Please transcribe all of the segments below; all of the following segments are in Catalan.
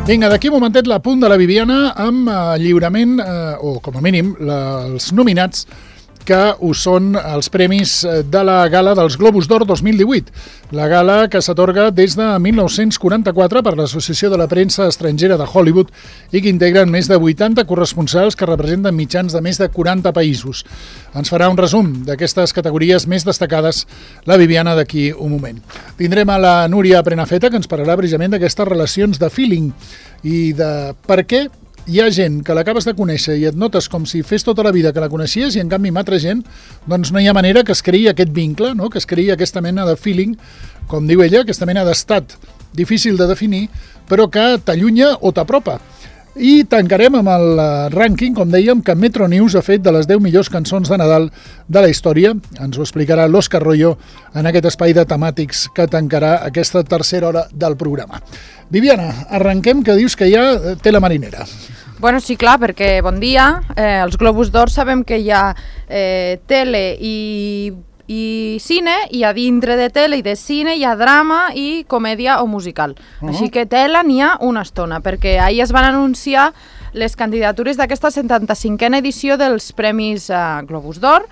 Vinga, d'aquí un momentet la punt de la Viviana amb lliurament, o com a mínim, els nominats que ho són els premis de la gala dels Globus d'Or 2018. La gala que s'atorga des de 1944 per l'Associació de la Premsa Estrangera de Hollywood i que integren més de 80 corresponsals que representen mitjans de més de 40 països. Ens farà un resum d'aquestes categories més destacades la Viviana d'aquí un moment. Tindrem a la Núria Prenafeta, que ens parlarà precisament d'aquestes relacions de feeling i de per què hi ha gent que l'acabes de conèixer i et notes com si fes tota la vida que la coneixies i en canvi amb altra gent doncs no hi ha manera que es creï aquest vincle, no? Que es creï aquesta mena de feeling, com diu ella, aquesta mena d'estat difícil de definir, però que t'allunya o t'apropa. I tancarem amb el rànquing, com dèiem, que Metro News ha fet de les 10 millors cançons de Nadal de la història. Ens ho explicarà l'Òscar Royo en aquest espai de temàtics que tancarà aquesta tercera hora del programa. Viviana, arrenquem, que dius que hi ha tela marinera. Bueno, sí, clar, perquè bon dia. Els Globus d'Or sabem que hi ha tele i cine, i a dintre de tele i de cine hi ha drama i comèdia o musical. Així que tela n'hi ha una estona, perquè ahir es van anunciar les candidatures d'aquesta 75a edició dels Premis Globus d'Or.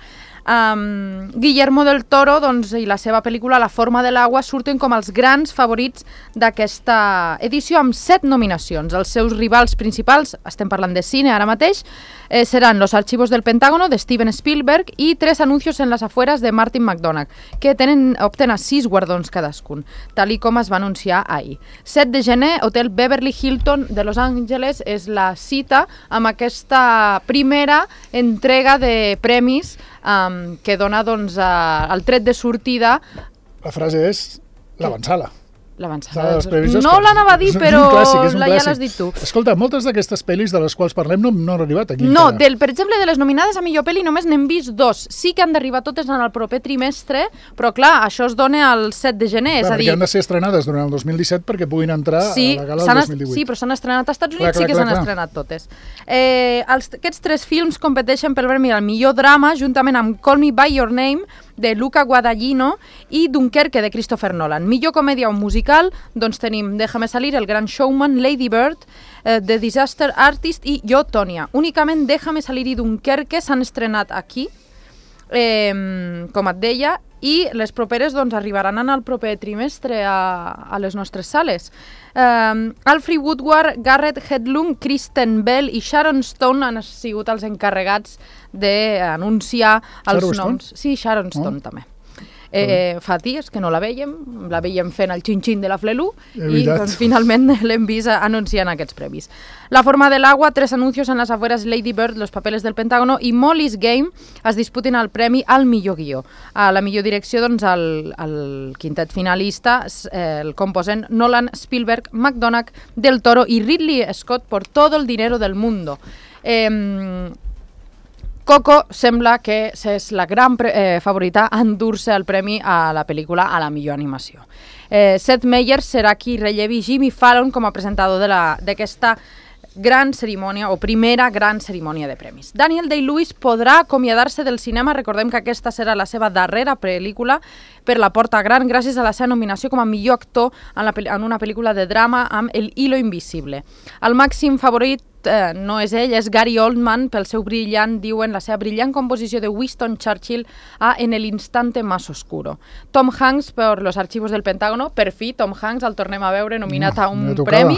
Guillermo del Toro i la seva pel·lícula La forma de l'aigua surten com els grans favorits d'aquesta edició amb 7 nominacions. Els seus rivals principals, estem parlant de cine ara mateix, seran Los archivos del Pentágono de Steven Spielberg i Tres anuncios en las afueras de Martin McDonagh, que obtenen 6 guardons cadascun, tal com es va anunciar ahir. 7 de gener, Hotel Beverly Hilton de Los Angeles és la cita amb aquesta primera entrega de premis que dona el tret de sortida. La frase és l'avançala. L'avançada. No l'anava a dir, però ja l'has dit tu. Escolta, moltes d'aquestes pel·lis de les quals parlem no han arribat aquí. No, per exemple, de les nominades a millor pel·li només n'hem vist 2. Sí que han d'arribar totes en el proper trimestre, però clar, això es dona el 7 de gener. És a dir, perquè han de ser estrenades durant el 2017 perquè puguin entrar a la gala del 2018. Sí, però s'han estrenat als Estats Units, sí que s'han estrenat totes. Aquests 3 films competeixen pel premi al millor drama, juntament amb Call Me By Your Name, de Luca Guadagnino, i Dunkerque, de Christopher Nolan. Millor comèdia o musical, doncs tenim Déjame salir, El gran showman, Lady Bird, The Disaster Artist i Jo, Tònia. Únicament Déjame salir i Dunkerque s'han estrenat aquí, com et deia, i les properes arribaran en el proper trimestre a les nostres sales. Alfred Woodward, Garrett Hedlund, Kristen Bell i Sharon Stone han sigut els encarregats d'anunciar els noms. Sí, Sharon Stone també. Fa dies que no la veiem fent el xin-xin de la Flelu i finalment l'hem vist anunciant aquests premis. La forma de l'aigua, Tres anuncios en las afueras, Lady Bird, Los papeles del Pentágono i Molly's Game es disputen el premi al millor guió. A la millor direcció, el quintet finalista el composen Nolan, Spielberg, McDonagh, Del Toro i Ridley Scott por todo el dinero del mundo. Coco sembla que és la gran favorita a endur-se el premi a la pel·lícula a la millor animació. Seth Meyers serà qui rellevi Jimmy Fallon com a presentador d'aquesta gran cerimònia o primera gran cerimònia de premis. Daniel Day-Lewis podrà acomiadar-se del cinema. Recordem que aquesta serà la seva darrera pel·lícula per la porta gran gràcies a la seva nominació com a millor actor en una pel·lícula de drama amb El hilo invisible. El màxim favorit no és ell, és Gary Oldman pel seu la seva brillant composició de Winston Churchill a En el instante más oscuro. Tom Hanks per Los archivos del Pentágono, per fi Tom Hanks el tornem a veure nominat a un premi.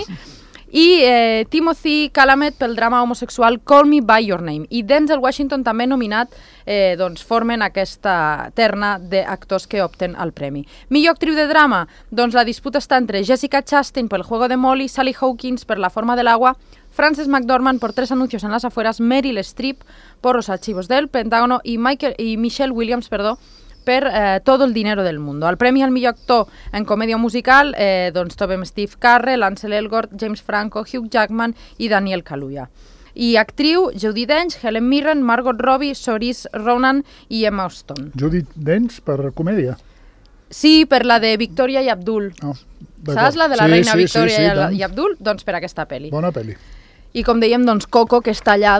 I Timothy Chalamet pel drama homosexual Call Me By Your Name. I Denzel Washington també nominat, formen aquesta terna d'actors que opten al premi. Millor actriu de drama, la disputa està entre Jessica Chastain pel Juego de Molly, Sally Hawkins per La forma de l'aigua, Frances McDormand por Tres anuncios en las afueras, Meryl Streep por Los archivos del Pentágono y Michelle Williams, per Todo el dinero del mundo. El premi al millor actor en comèdia musical trobem Steve Carell, Ansel Elgort, James Franco, Hugh Jackman i Daniel Kaluuya. I actriu, Judi Dench, Helen Mirren, Margot Robbie, Saoirse Ronan i Emma Stone. Judi Dench per comèdia? Sí, per la de Victoria i Abdul. Saps la de la reina Victoria i Abdul? Doncs per aquesta pel·li. Bona pel·li. I com dèiem, Coco, que està allà,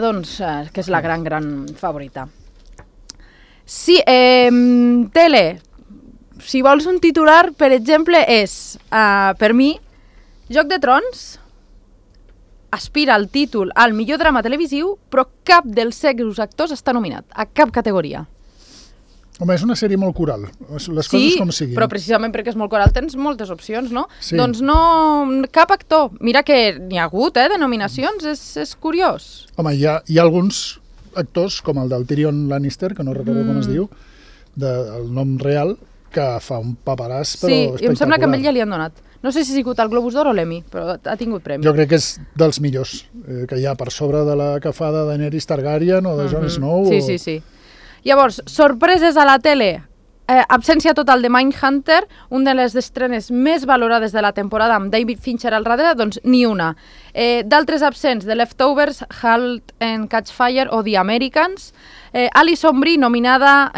que és la gran favorita. Sí, tele. Si vols un titular, per exemple, és, per mi, Joc de Trons, aspira al títol al millor drama televisiu, però cap dels seus actors està nominat, a cap categoria. Home, és una sèrie molt coral, les coses com siguin. Sí, però precisament perquè és molt coral tens moltes opcions, no? Sí. Doncs no, cap actor. Mira que n'hi ha hagut, de nominacions, és curiós. Home, hi ha alguns actors, com el del Tyrion Lannister, que no recordo com es diu, el nom real, que fa un paperàs, però espectacular. Sí, i em sembla que a ell ja li han donat. No sé si ha sigut el Globus d'Or o l'Emmy, però ha tingut premi. Jo crec que és dels millors, que hi ha per sobre de la que fa de Daenerys Targaryen o de Jon Snow. Sí. Llavors, sorpreses a la tele. Absència total de Mindhunter, una de les estrenes més valorades de la temporada amb David Fincher al darrere, doncs ni una. D'altres absents, The Leftovers, Halt and Catch Fire o The Americans. Alison Brie, nominada,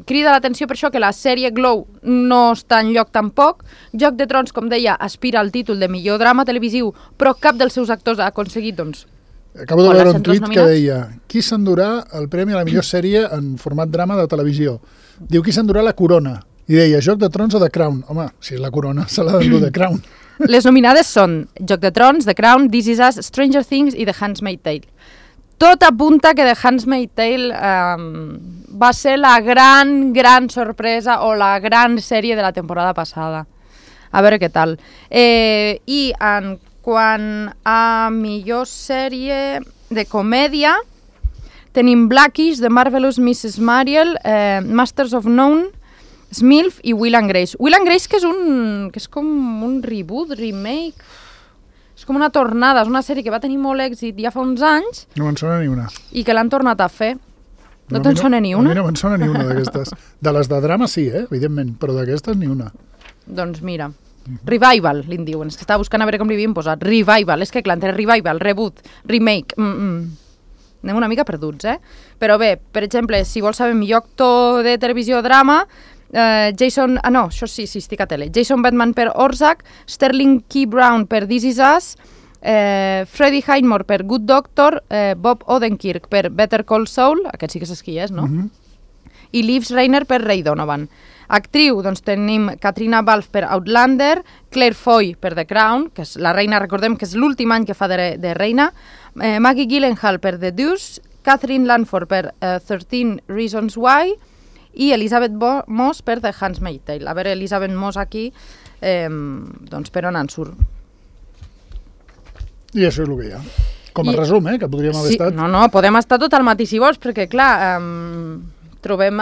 crida l'atenció per això que la sèrie Glow no està enlloc tampoc. Joc de Trons, com deia, aspira al títol de millor drama televisiu, però cap dels seus actors ha aconseguit, doncs, acabo de veure un tuit que deia qui s'endurà el premi a la millor sèrie en format drama de televisió. Diu qui s'endurà la corona. I deia Joc de Trons o The Crown. Home, si és la corona, se l'ha d'endur The Crown. Les nominades són Joc de Trons, The Crown, This Is Us, Stranger Things i The Handmaid's Tale. Tot apunta que The Handmaid's Tale va ser la gran sorpresa o la gran sèrie de la temporada passada. A veure què tal. I en quant a millor sèrie de comèdia, tenim Blackish, The Marvelous Mrs. Maisel, Masters of None, Smilf i Will and Grace. Will and Grace que és com un reboot, remake, és com una tornada, és una sèrie que va tenir molt èxit ja fa uns anys. No me'n sona ni una. I que l'han tornat a fer. No te'n sona ni una? A mi no me'n sona ni una d'aquestes. De les de drama sí, evidentment, però d'aquestes ni una. Doncs mira, Revival, li'n diuen. És que estava buscant a veure com li havien posat. Revival, és que clar, entre Revival, Reboot, Remake... Anem una mica perduts, Però bé, per exemple, si vols saber millor actor de televisió o drama, Jason... no, això sí, estic a tele. Jason Bateman per Ozark, Sterling K. Brown per This Is Us, Freddie Highmore per Good Doctor, Bob Odenkirk per Better Call Saul, aquest sí que saps qui és, no? I Liv Schreiber per Ray Donovan. Actriu, doncs tenim Katrina Balfe per Outlander, Claire Foy per The Crown, que és la reina, recordem que és l'últim any que fa de reina, Maggie Gyllenhaal per The Deuce, Catherine Langford per 13 Reasons Why i Elizabeth Moss per The Handmaid's Tale. A veure, Elizabeth Moss aquí, doncs per on en surt. I això és el que hi ha. Com a resum, que podríem haver estat... No, podem estar tot al matí si vols, perquè clar, trobem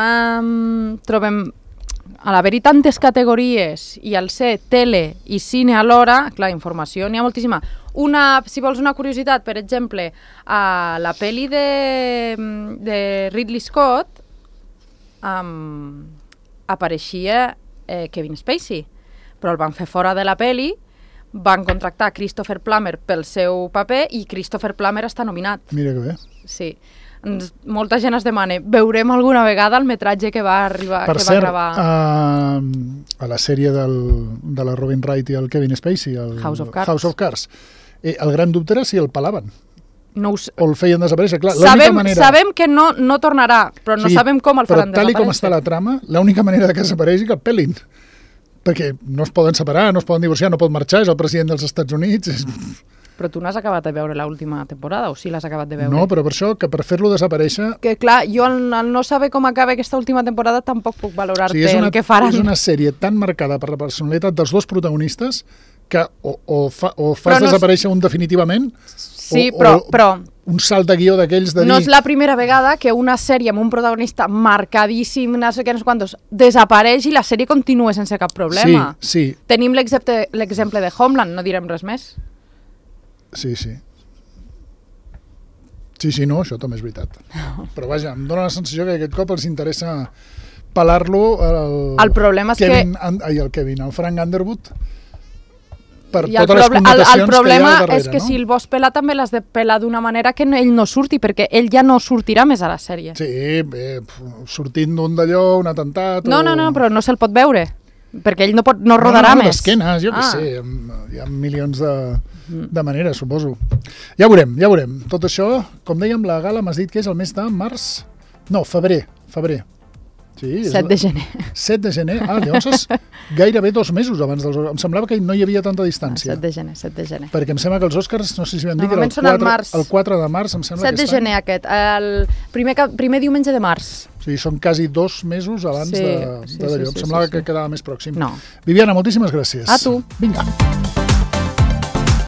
a l'haver-hi tantes categories i al ser tele i cine alhora, clar, informació n'hi ha moltíssima. Si vols una curiositat, per exemple, a la pel·li de Ridley Scott apareixia Kevin Spacey, però el van fer fora de la pel·li, van contractar Christopher Plummer pel seu paper i Christopher Plummer està nominat. Mira que bé. Sí. Molta gent es demana, veurem alguna vegada el metratge que va arribar, per que cert, va gravar... a la sèrie de la Robin Wright i el Kevin Spacey, el House of Cards, el gran dubte era si el pelaven. No o el feien desaparèixer. Clar, sabem que no tornarà, però no sabem com el faran desaparèixer. Però tal com està la trama, l'única manera que desapareixi que el pelin. Perquè no es poden separar, no es poden divorciar, no pot marxar, és el president dels Estats Units... Però tu n'has acabat de veure l'última temporada o sí l'has acabat de veure? No, però per això, que per fer-lo desaparèixer... Que clar, jo al no saber com acaba aquesta última temporada tampoc puc valorar-te el que faran. És una sèrie tan marcada per la personalitat dels dos protagonistes que o fas desaparèixer un definitivament però un salt de guió d'aquells de dir... No és la primera vegada que una sèrie amb un protagonista marcadíssim, no sé què, no sé quantos, desapareix i la sèrie continua sense cap problema. Sí. Tenim l'exemple de Homeland, no direm res més. Sí, no, això també és veritat. Però vaja, em dóna la sensació que aquest cop els interessa pelar-lo el problema és el Frank Underwood per I totes les connotacions que hi ha al darrere. El problema és que si el vols pelar també l'has de pelar d'una manera que ell no surti, perquè ell ja no sortirà més a la sèrie. Sí, sortint d'un d'allò, un atemptat... No, però no se'l pot veure, perquè ell no rodarà més. D'esquenes, jo què sé, hi ha milions de maneres, suposo. Ja veurem. Tot això, com dèiem, la gala m'has dit que és el mes de març? No, febrer. Sí, 7 de gener. 7 de gener? Llavors és gairebé 2 mesos abans dels Oscars. Em semblava que no hi havia tanta distància. 7 de gener, 7 de gener. Perquè em sembla que els Oscars, no sé si vam dir, que Normalment són al març. el 4 de març, em sembla 7 de gener aquest, el primer diumenge de març. O sigui, són quasi 2 mesos abans d'allò. Em semblava que quedava més pròxim. No. Viviana, moltíssimes gràcies. A tu. Vinga.